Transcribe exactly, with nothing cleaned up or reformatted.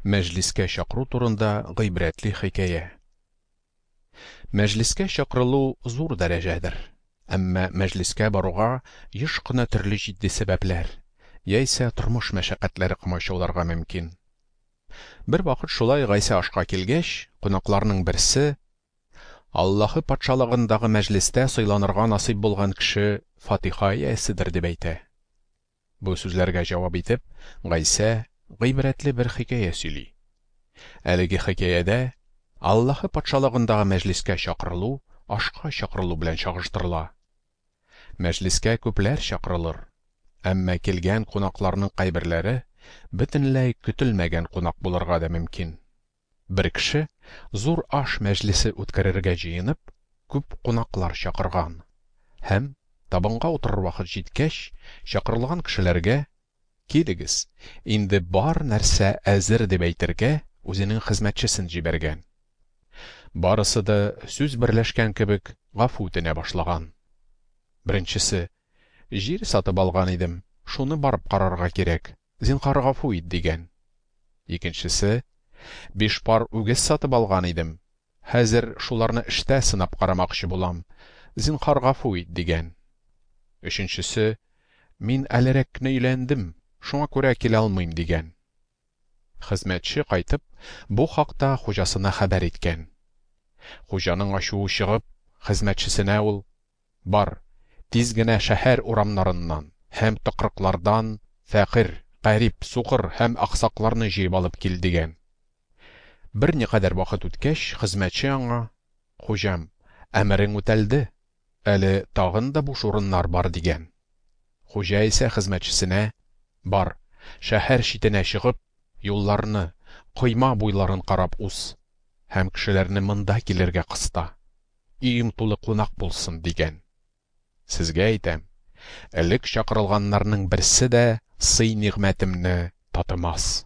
Мәҗлескә чакыру турында гыйбрәтле хикәя. Мәҗлескә чакырылу зур дәрәҗәдер. Әмма мәҗлескә баруга еш кына төрле җитди сәбәпләр, яисә тормыш мәшәкатьләре комачауларга мөмкин. Бер вакыт шулай Гайсә ашка килгәч, кунакларның берсе: "Аллаһы патшалыгындагы мәҗлестә сыйланырга насыйп булган кеше фатиха ияседер", дип әйтә. Бу сүзләргә җавап итеп, Гайсә гыйбрәтле бер хикәя сөйли. Әлеге хикәядә Аллаһы патшалыгындагы мәҗлескә чакырылу ашка чакырылу белән чагыштырыла. Мәҗлескә күпләр чакырылыр, әмма килгән кунакларның кайберләре бөтенләй көтелмәгән кунак булырга да мөмкин. Бер кеше зур аш мәҗлесе үткәрергә җыенып, күп кунаклар чакырган һәм табынга утырыр вакыт җиткәч, чакырылган кешеләргә: "Килегез, инде бар нәрсә әзер", дип әйтергә үзенең хезмәтчесен җибәргән. Барысы да сүз берләшкән кебек гафу үтенә башлаган. Беренчесе: "Җир сатып алган идем, шуны барып карарга кирәк, зинһар гафу ит", дигән. Икенчесе: "Биш пар үгез сатып алган идем, хәзер шуларны эштә сынап карамакчы булам, зинһар гафу ит", дигән. Өченчесе: "Мин әлерәк кенә өйләндем, шуңа күрә килә алмыйм", дигән. Хезмәтче кайтып, бу хакта хуҗасына хәбәр иткән. Хуҗаның ачуы чыгып, хезмәтчесенә ул: "Бар, тиз генә шәһәр урамнарыннан һәм тыкрыклардан фәкыйрь, гарип, сукыр һәм аксакларны җыеп алып кил", дигән. Берникадәр вакыт үткәч, хезмәтче аңа: "Хуҗам, әмерең үтәлде, әле тагын да буш урыннар бар", дигән. Хуҗа исә хезмәтчесенә: "Бар, шәһәр читенә чыгып, юлларны, койма буйларын карап уз һәм кешеләрне монда килергә кыста. Өем тулы кунак булсын", дигән. Сезгә әйтәм, элек чакырылганнарның берсе дә сый-нигъмәтемне татымас.